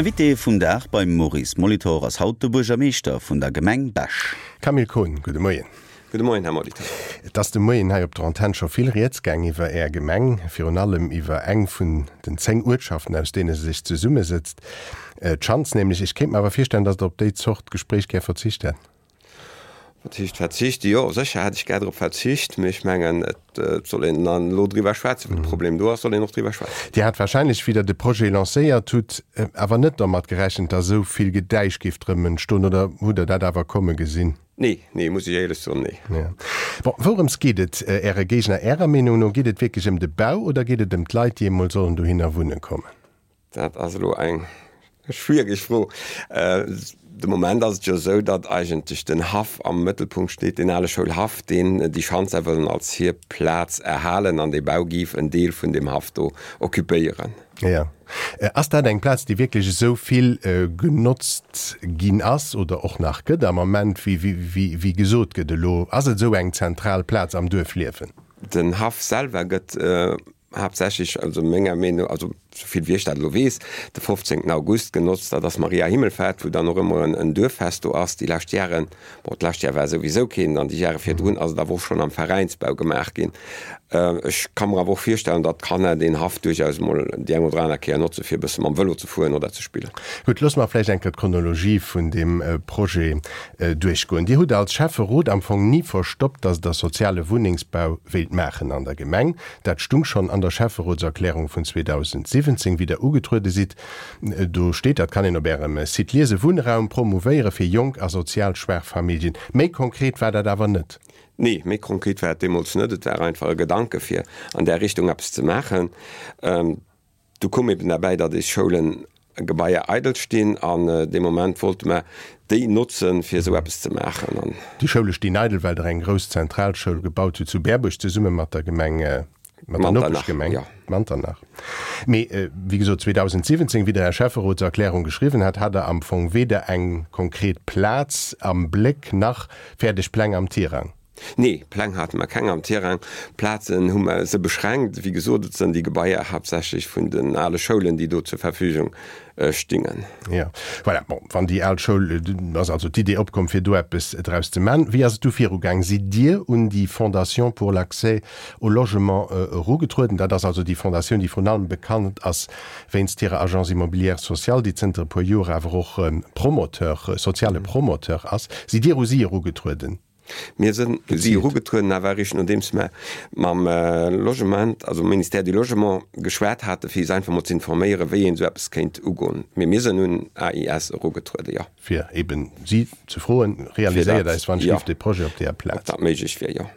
Invité vum Dag beim Maurice Molitor ass haut de Buergermeeschter vun der Gemeng Bech. Camille Kohn, gudde Moien. Gudde Moien, Här Molitor. Et ass de Moien hei op der Antenn scho vill Rieds gaang iwwer Är Gemeng, virun allem iwwer eng vun den 10 Uertschaften, aus deene se sech zesummesëtzt, d'Schanz nämlech. Ech kéint mer awer virstellen, datt Der op déi Zort Gespréich gär verzicht hätt. Wat heescht verzicht? Jo, sécher hätt ech gär drop verzicht, mee ech mengen, et soll een dann elo driwwer schwätzen. Wou de Problem do ass, soll een och driwwer schwätzen. Dir hat wahrscheinlech, wéi Der de Projet lancéiert hutt, awer net dermat gerechent, datt esou vill Gedäisch géif drëm entstoen, oder hutt Der dat awer komme gesinn? Nee, nee, muss ech éierlech soen, nee. Jo. Bon, wourëms geet et Äre Géigner Ärer Meenung no? Geet et wierklech ëm de Bau oder geet et ëm d'Leit, déi emol sollen dohinner wunne kommen? Dat ass elo eng schwiereg Fro. De Moment ass et jo esou, datt eigentlech den Haff am Mëttelpunkt steet, deen ale Schoulhaff, deen déi Schanzer wëllen als hir Plaz erhalen an dee Bau géif en Deel vun deem Haff do occupéieren. Jo. Ass dat eng Plaz, déi wierklech esou vill genotzt ginn ass oder och nach gëtt am Ament, wéi gesot gëtt elo? Ass et esou eng zentral Plaz am Duerfliewen? Den Haff selwer gëtt haaptsächlech, also menger Meenung, also souvill wéi ech dat elo weess, de 15 August genotzt. Dat ass Maria Himmelfahrt, wou dann och ëmmer en Duerffest do ass. Déi lescht Jaren, bon, d'lescht Jar war souwisou keen, an déi Jare virdrun ass et awer och schonn am Veräinsbau gemaach ginn. Ech ka mer awer och virstellen, datt d'Kanner deen Haff duerchaus emol déi eng oder aner Kéier notze fir e bësse mam Vëlo ze fueren oder ze spillen. Gutt, loosse mer vläicht eng Kéier d'Chronologie vun deem Projet duerchgoen. Dir hutt als Schäfferot am Fong ni verstoppt, datt Der soziale Wunnengsbau wéilt maachen an der Gemeng. Dat stung schonn an der Schäfferotserklärung vun 2017, wéi Der ugetruede sidd. Do steet, dat kann een op Ärem Site liesen, Wunnraum promouvéiere fir jonk a sozial schwaach Familljen. Méi konkret war dat awer net. Nee, méi konkret war et deemools net. Et war einfach e Gedanke fir an där Richtung eppes ze maachen. Du koum eben derbäi, datt eis Schoulen Gebaier eidel stinn an dee Moment wollte mer déi notzen, fir esou eppes ze maachen. An. Déi Schoule stinn eidel, well Der eng grouss Zentralschoul gebaut hutt zu Berbuerg zesumme mat der Gemeng, mat der Nopeschgemeng Manternach. Mee wéi gesot, 2017, wéi Der Är Schäfferotserklärung geschriwwen hat, hat Der am Fong weder eng konkret Plaz am Bléck nach fäerdeg Pläng am Tirang. Nee, Pläng hate mer keng am Tirang. Plazen hu mer se beschränkt. Wéi gesot, et sënn déi Gebaier haaptsächlech vun den ale Schoulen, déi do zur Verfügung stingen. Jo, voilà. Bon, wann déi al Schoul, ass also d'Idee opkomm, fir do eppes draus ze man. Wéi ass et du virugaang? Sidd Dir un déi Fondation pour l'accès au logement erugetrueden? Dat ass also déi Fondatioun, déi vrun allem bekannt ass wéinst hirer Agence immobilière sociale, déi zënter e puer Joer awer och Promoteur, soziale Promoteur ass. Sidd Dir u si erugetrueden? Mir sënn u si erugetrueden, awer eréischt nodeems mer mam Logement, also Ministère du Logement geschwat haten, fir is einfach mol ze informéieren, wéi een esou eppes kéint ugoen. Mee mir sënn un AIS erugetrueden, jo. Fir eben si ze froen, Realiséiert eis wann ech giff dee Projet op deeër Plaz. Ob dat méiglech wier, jo.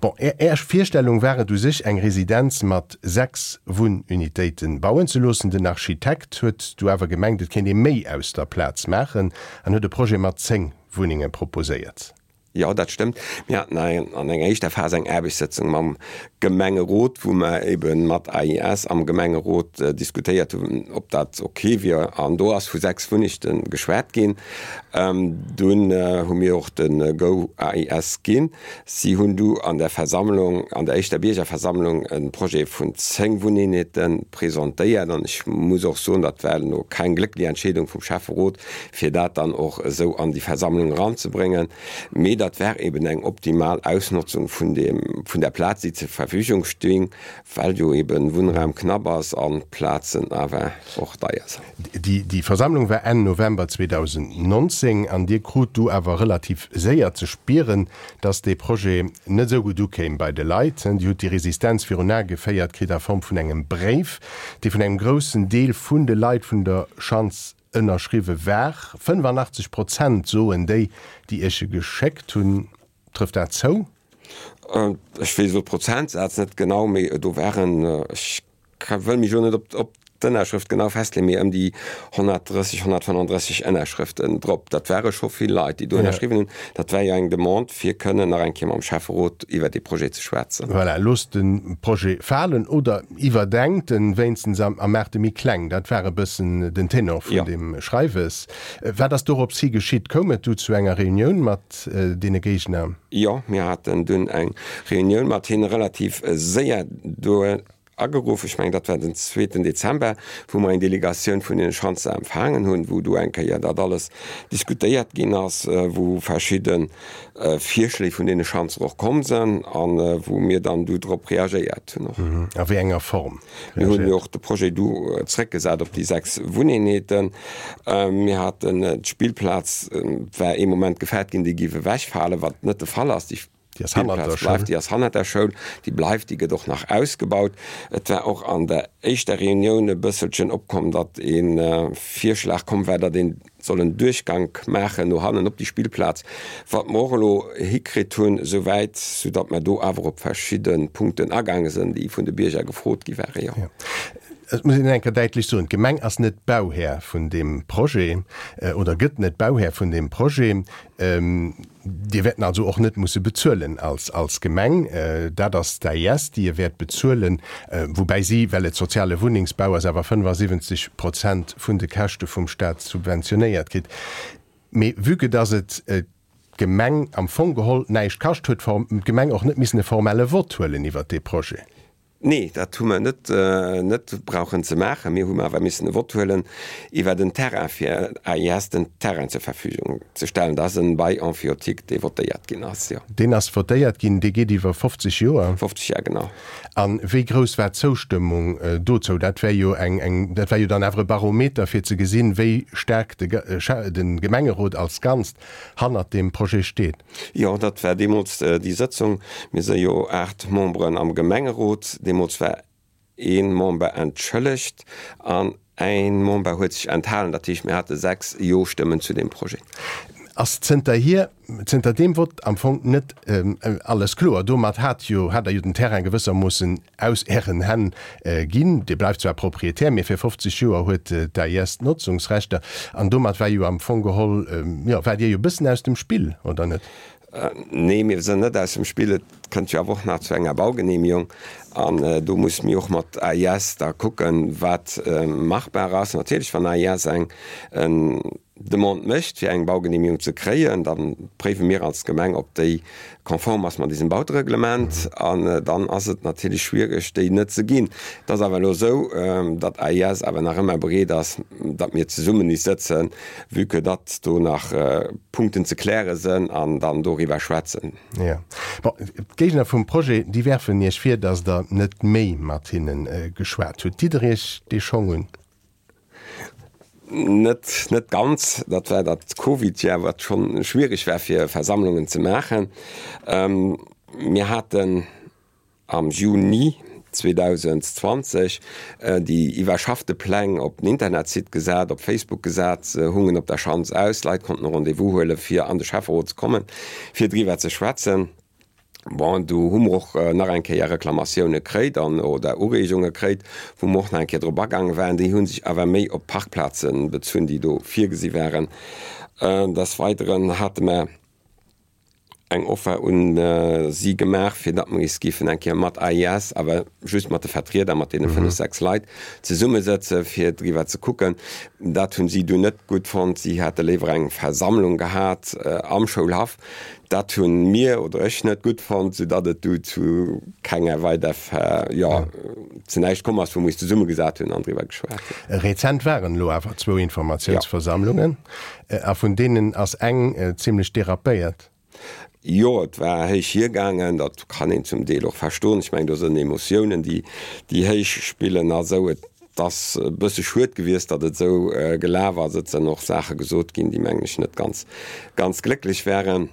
Bon, Är Virstellung war et u sech, eng Residenz mat 6 Wunnunitéiten bauen ze loossen. Den Architekt huet du awer gemengt, et kéint ee méi aus der Plaz maachen an huet e Projet mat 10 Wunnenge proposéiert. Jo, dat stëmmt. Mir haten an enger éischter Phas eng Aarbechtssëtzung mam Gemengerot, wou mer ebe mat AIS am Gemengerot diskutéiert hunn, ob dat ok wier. An do ass vu 6 Wunnegte geschwat ginn. Dunn hu mir och de Go AIS ginn. Si hunn du an der Versammlung, an der éischter Biergerversammlung e Projet vun 10 Wunneenheete presentéiert. An ech muss och soen, dat war elo keng glécklech Entscheedung vum Schäfferot, fir dat dann och esou an déi Versammlung eranzebréngen. Mee dat war eben eng optimal Ausnotzung vun deem, vun der Plaz, déi zur Verfügung sting, well jo eben Wunnraum knapp ass an d'Plazen awer och deier sinn. Déi, déi Versammlung war Enn November 2019 an Dir krut du awer relativ séier ze spieren, dass dee Projet net esou gutt ukéim bei de Leit. Dir hutt déi Resistenz virun Ae geféiert kritt a Form vun engem Bréif, dee vun engem groussen Deel vun de Leit vun der Schanz ënnerschriwwe war. 85 Prozent soen déi, déi Iech e geschéckt hunn. Trëfft dat zou? Ech weess elo d'Prozentsaz net genau, mee do waren, ech wëll mech elo net op d'Ënnerschrëft genau festleeën, mee ëm déi 130, 135 Ënnerschrëften drop. Dat ware scho vill Leit, déi do ënnerschriwwen hunn. Dat war jo eng Demande, fir kënnen nach eng Kéier mam Schäfferot iwwer dee Projet ze schwätzen. Voilà, loosst de Projet falen oder Iwwerdenkt en wéinstens a maacht e méi kleng. Dat war e bëssen den Tenor vun deem Schreiwes. Wat ass dorops hi geschitt? Koum et du zu enger Reunioun mat deene Géigner? Jo, mir haten dunn eng Reunioun mat hinne relativ séier. Ageruff, ech mengen dat war den zweeten Dezember, wou mer eng Delegatioun vun deene Schanzer empfaangen hunn, wou do eng Kéier dat alles diskutéiert ginn ass, wou verschidde Virschléi vun deene Schanzer och komm sënn a wou mir dann du drop reagéiert hunn och. A wéi enger Form Mir hunn jo och de Projet du zréckgesat op déi 6 Wunneenheeten. Mir haten d'Spillplaz war ee Moment gefaart ginn, déi géif ewechfalen, wat net de Fall ass. Déi Déi ass hannert der Schoul. Déi ass hannert der Schoul, déi bleift, déi gëtt och nach ausgebaut. Et war och an der éischter Reunioun e bësselchen opkomm, datt e Virschlag komm war, datt een soll en Duerchgank maachen no hannen op déi Spillplaz, wat mer och elo hikritt hunn esouwäit, soudatt mer do awer op verschidde Punkten agaange sinn, déi vun de Bierger gefrot gi ware, jo. Et muss een eng Kéier däitlech soen, D'Gemeng ass net Bauhär vun deem Projet oder gëtt net Bauhär vun deem Projet. Dir wäert en also och net musse bezuelen als als Gemeng. Dat ass d'AIS, déi e wäert bezuelen, woubäi si, well et soziale Wunnengsbau ass, awer 75 Prozent vun de Käschte vum Stat subventionéiert kritt. Mee vue que dass et d'Gemeng am Fong geholl näischt kascht, huet d'Gemeng och net missen e formelle Vott huelen iwwert dee Projet. Nee, dat hu mer net net brauchen ze maachen. Mir hu awer missen e Vott huelen iwwer den Terrain, fir AIS den Terrain zur Verfügung ze stellen. Dat ass en Bail emphytique, dee votéiert ginn ass, jo. Deen ass votéiert ginn, dee geet iwwer 50 Joer. 50 Jar, genau. A wéi grouss war d'Zoustëmmung dozou? Dat wär jo eng, eng, dat war jo dann awer e Barometer, fir ze gesinn, wéi staark de de Gemengerot als Ganzt hannert deem Projet steet. Jo, dat war deemools déi Sëtzung. Mir si jo 8 Memberen am Gemengerot. Deemools war ee Member entschëllegt an ee Member huet sech enthalen. Dat heescht, mir hate 6 Jo-Stëmmen zu deem Projet. Ass zënterhier, zënter deem Vott am Fong net alles kloer? Domat hat jo, hat Der jo den Terrain gewëssermoossen aus Ären Hänn ginn. Dir bleift zwar Proprietär, mee fir 50 Joer huet d'AIS d'Notzungsrechter. An domat war jo am Fong geholl, jo, waart Dir jo e bëssen aus dem Spill, oder net? Nee, mir sënn net aus dem Spill. Et kënnt jo awer och nach zu enger Baugenehmigung. An do musse mir och mat AIS da kucken, wat machbar ass. Natierlech, wann AIS eng Demande mécht, fir eng Baugenehmigung ze kréien, da préiwe mir als Gemeng, ob déi konform ass mat eisem Bautereglement. An dann ass et natierlech schwiereg, déi net ze ginn. Et ass awer elo esou, datt AIS awer nach ëmmer bereet ass, datt mir zesummen is sëtzen, vue que datt do nach Punkten ze kläre sënn, an dann doriwwer schwätzen. Jo. Bon, d'Géigner vum Projet, déi werfen Iech vir, datt Der net méi mat hinne geschwat hutt. Ditt Der Iech dee Schong un? Net, net ganz. Dat war dat Covid-Jahr, wat schonn schwierig war, fir Versammlungen ze maachen. Mir haten am Juni 2020 déi iwwerschaffte Pläng op den Internetsite gesat, op Facebook gesat, se hungen op der Schanz aus. D'Leit konnten e Rendez-vous huelen, fir an de Schäfferot ze kommen, fir driwwer ze schwätzen. Bon, do hu mer och nach eng Kéier Reklamatioune kréit an, oder Ureegunge kréit, wou mer och nach eng Kéier drop agaange waren. Déi hu sech awer méi op d'Parkplaze bezunn, déi do virgesi waren. Des Weideren hate mer eng Offer un si gemaach, fir datt mer is géifen eng Kéier mat AIS, awer just mat de Vertrieder, mat deene fënnef, sechs Leit zesummesëtze fir driwwer ze kucken. Dat hunn si dunn net gutt fonnt. Si hätte léiwer eng Versammlung gehat am Schoulhaff. Dat hunn mir oder ech net gutt fonnt, soudatt et du zu kenger weider, jo, zu näischt komm ass, wou mer eis zesummegesat hunn an driwwer geschwat hunn. Rezent waren elo awer zwou Informatiounsversammlungen, a vun deenen ass eng zimlech derapéiert. Jo, et war héich hiergaangen. Dat kann een zum Deel och verstoen. Ech mengen, do sënn Emotiounen, déi, déi héich spillen a sou. Et ass e bësse schued gewiescht, datt et esou gelaf ass. Et sënn och Saache gesot ginn, déi, mengen ech, net ganz, ganz glécklech waren.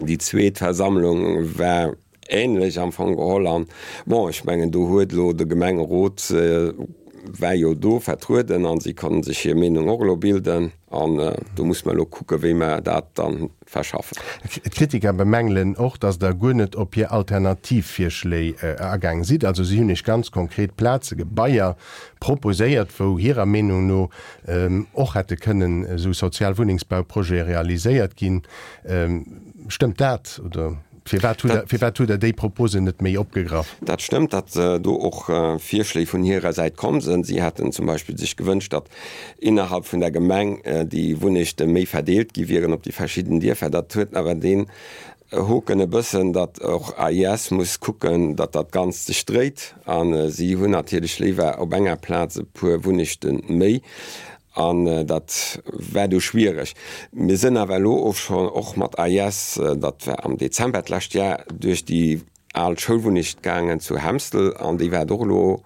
Déi zweet Versammlung war ähnlech am Fong geholl. An, bon, ech mengen, do huet elo de Gemengerot war jo do vertrueden a si konnten sech hir Meenung och elo bilden. An do muss mer elo kucken, wéi mer dat dann verschaffen. D'Kritiker bemängelen och, datt Der guer net op hir Alternativvirschléi agaang sidd. Also si hunn Iech ganz konkret Plaze, Gebaier proposéiert, wou hirer Meenung no och hätte kënnen esou sozial Wunnengsbauprojete realiséiert ginn. Stëmmt dat oder firwat hutt Der, firwat hutt Der déi Proposen net méi opgegraff? Dat stëmmt, datt do och Virschléi vun hirer Säit komm sënn. Si hätten zum Beispill sech gewënscht, datt innerhalb vun der Gemeng déi Wunnechte méi verdeelt gi wieren op déi verschidden Dierfer. Dat huet awer deen. Hoken e bëssen, datt och AIS muss kucken, datt dat Ganzt sech dréit. A si hunn natierlech léiwer op enger Plaz e puer Wunnechte méi. An dat war du schwiereg. Mir sënn awer elo och schonn, och mat AIS, dat war am Dezember d'lescht Jar, duerch déi al Schoulwunnecht gaangen zu Hemstel an déi waart och elo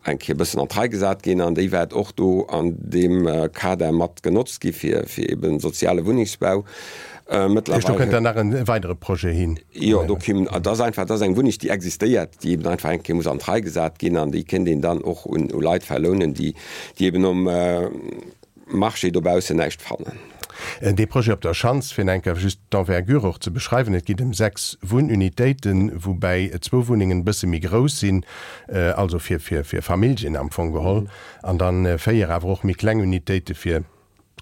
eng Kéier e bëssen an d'Rei gesat ginn an déi wäert och do an deem Kader mat genotzt gi fir fir eben soziale Wunnengsbau. Mëttlerweil. Do kënnt dann nach e weidere Projet hin. Jo, do kimm, dat ass einfach, dat ass eng Wunneg, déi existéiert, déi eben einfach eng Kéier muss an d'Rei gesat ginn an déi kéint een dann och un u Leit verlounen, déi déi eben um Marché dobaussen näischt fannen. Dee Projet op der Schanz, fir enker just d'Envergure och ze beschreiwen, et geet ëm 6 Wunnunitéiten, woubäi zwou Wunnengen e bësse méi grouss sinn, also fir fir Familljen am Fong geholl, an dann 4 awer och méi kleng Unitéite fir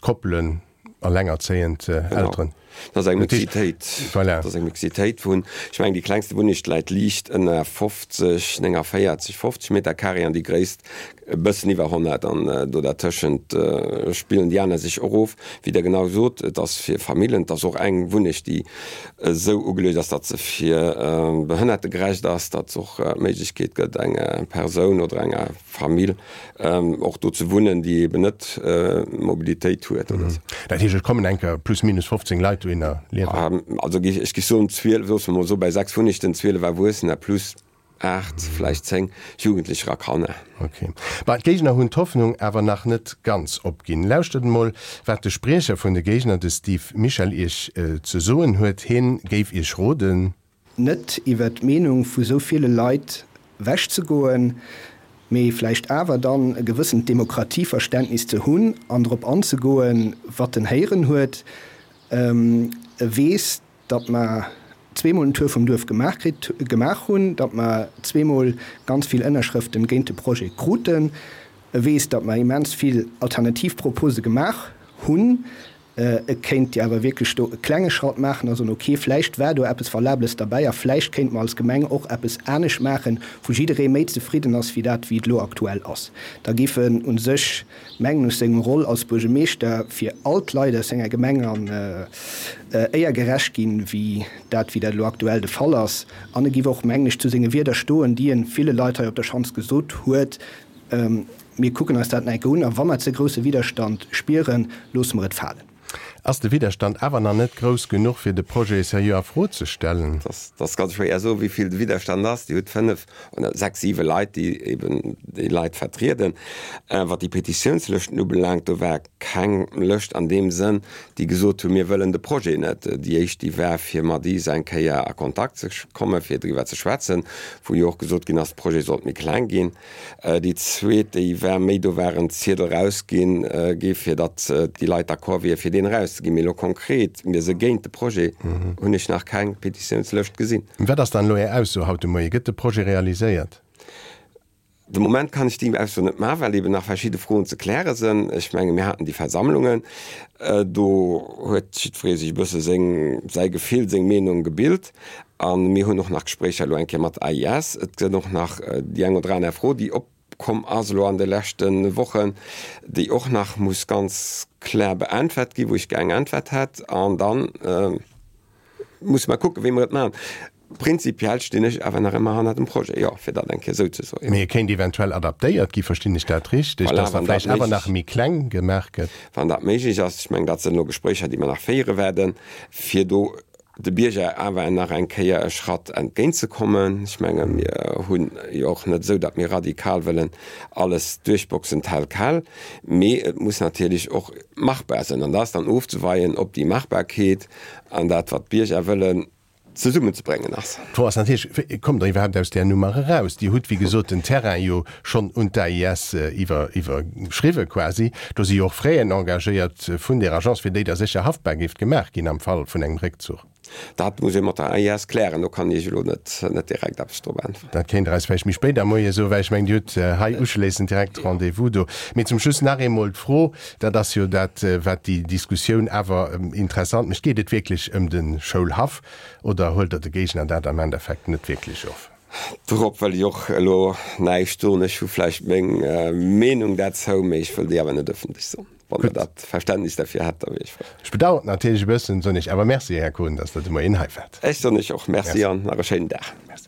Koppelen, allengerzéiend Elteren. Dat ass eng Mixitéit. Voilà. Dat ass eng Mixitéit vun, ech mengen, déi klengste Wunneg läit liicht ënner 50, 49, 50 Meter carré an déi gréisst e bëssen iwwer 100. An do dertëschent spillen déi aner sech och of. Wéi Der genau sot, et ass fir Famillen, et ass och eng Wunneg, déi esou ugeluecht ass, datt se fir Behënnertegerecht ass, datt se och d'Méiglechkeet gëtt, enger Persoun oder enger Famill och do ze wunnen, déi eben net Mobilitéit huet oder esou. Dat heescht, et kommen enker plus minus 15 Leit dohinner liewen? Also ech géif soen 12, loosse mer mol soe bei 6 Wunnegten, 12 Erwuessener plus 8, vläicht 10 Jugendlecher a Kanner. Ok. Bah, d'Géigner hunn d'Hoffnung awer nach net ganz opginn. Lauschtert emol, wat de Spriecher vun de Géigner, de Steve Michel, Iech ze soen huet. Hien géif Iech roden. Net iwwert d'Meenung vu sou ville Leit wech ze goen, mee vläicht awer dann e gewëssent Demokratieverständnis ze hunn an drop anzegoen, wat en héieren huet. E weess, datt mer zweemol den Tour vum Duerf gemaach kritt, gemaach hunn, datt mer zweemol ganz vill Ënnerschrëften géint de Projet kruten. E weess, datt mer immens vill alternativ Propose gemaach hunn. Et kéint Dir awer wierklech do e klenge Schratt maachen a soen, ok, vläicht war do eppes Valables derbäi a vläicht kéinte mer als Gemeng och eppes anescht maachen, wou jidderee méi zefridden ass wéi dat, wéi et elo aktuell ass. Da géif en u sech, mengen ech, sengem Roll als Buergemeeschter fir all d'Leit aus senger Gemeng an éier gerecht ginn, wéi dat, wéi dat elo aktuell de Fall ass. An e géif och, mengen ech, zu senge Wierder stoen, déi e ville Leit hei op der Schanz gesot huet, Mir kucken eis dat nach eng Kéier un a wa mer ze grousse Widderstand spieren, loosse mer et falen. Ass de Widderstand awer nach net grouss genuch, fir de Projet seriö a Fro ze stellen? Dat ass ganz schwéier soen, wéi vill de Widderstand ass. Dir hutt 5 oder 6, 7 Leit, déi eben déi Leit vertrieden. Wat déi Petitiounslëschten ubelaangt, do war keng Lëscht an deem Sënn, déi gesot hunn, mir wëllen de Projet net. Déi éischt, déi war, fir mat is eng Kéier a Kontakt ze kommen, fir driwwer ze schwätzen, wou jo och gesot ginn ass, de Projet sollt méi kleng ginn. Déi zweet, déi war méi, do war en Ziedel erausginn gi fir datt déi Leit d'accord wier fir deen erauszeginn. Mee elo konkret, mir se géint de Projet, hunn ech nach keng Petitiounslëscht gesinn. Wat ass dann elo Är Ausso haut de Moie? Gëtt de Projet realiséiert? De Moment kann ech déi Ausso net maachen, well eben nach verschidde Froen ze kläre sënn. Ech menge mir haten déi Versammlungen, do huet jiddweree sech e bësse seng, säi Gefill, seng Meenung gebilt. A mir hunn och nach Gespréicher elo eng Kéier mat AIS. Et gëtt och nach déi eng oder aner Fro, déi opkomm ass elo an de leschte Wochen, déi och nach muss ganz klar beäntwert ginn, wou ech gär eng Äntwert hätt. An da musse mer kucken, wéi mer et maachen. Prinzipiell stinn ech awer nach ëmmer hanner dem Projet, jo, fir dat eng Kéier esou ze soen. Mee e kéint eventuell adaptéiert ginn, verstinn ech dat richteg, dass da vläicht awer nach méi kleng gemaach gëtt? Wann dat méiglech ass. Ech mengen, dat sinn elo Gespréicher, déi mer nach féiere werden, fir do de Bierger awer nach eng Kéier e Schratt entgéintzekommen. Ech menge mir hunn jo och net esou, datt mir radikal wëllen alles duerchboxen tel quel, mee et muss natierlech och machbar sinn. An da ass dann ofzeweien, ob déi Machbarkeet an dat, wat d'Bierger wëllen, zesummenzebréngen ass. D'Fro ass natierlech, Wéi kommt Der iwwerhaapt aus där Nummer eraus? Dir hutt, wéi gesot, den Terrain jo schonn un d'AIS iwwer, iwwerschriwwe quasi. Do si jo och Fräen engagéiert vun där Agence, fir déi da sécher haftbar géift gemaach ginn am Fall vun engem Réckzuch. Dat muss ee mat der AIS klären. Do kann ech Iech elo net, net direkt eppes drop äntweren. Dat kéint Der eis vläicht méi spéit am Moie soen, well ech mengen, Dir hutt hei uschléissend direkt Rendez-vous do. Mee zum Schluss nach eemol d'Fro, dat ass jo dat, wat déi Diskussioun awer interessant mécht, Geet et wierklech ëm de Schoulhaff oder huelt Der de Géigner dat am Endeffekt net wierklech of? Dorop wëll ech och elo näischt soen. Ech hu vläicht meng Meenung derzou, mee ech wëll déi awer net ëffentlech soen. Wann Der dat Verständnis derfir hätt, da wier ech frou. Ech bedauern et natierlech e bëssen, soen Iech awer Merci, Här Kohn, dass Der de Moien hei waart. Ech soen Iech och Merci an nach e schéinen Dag. Merci.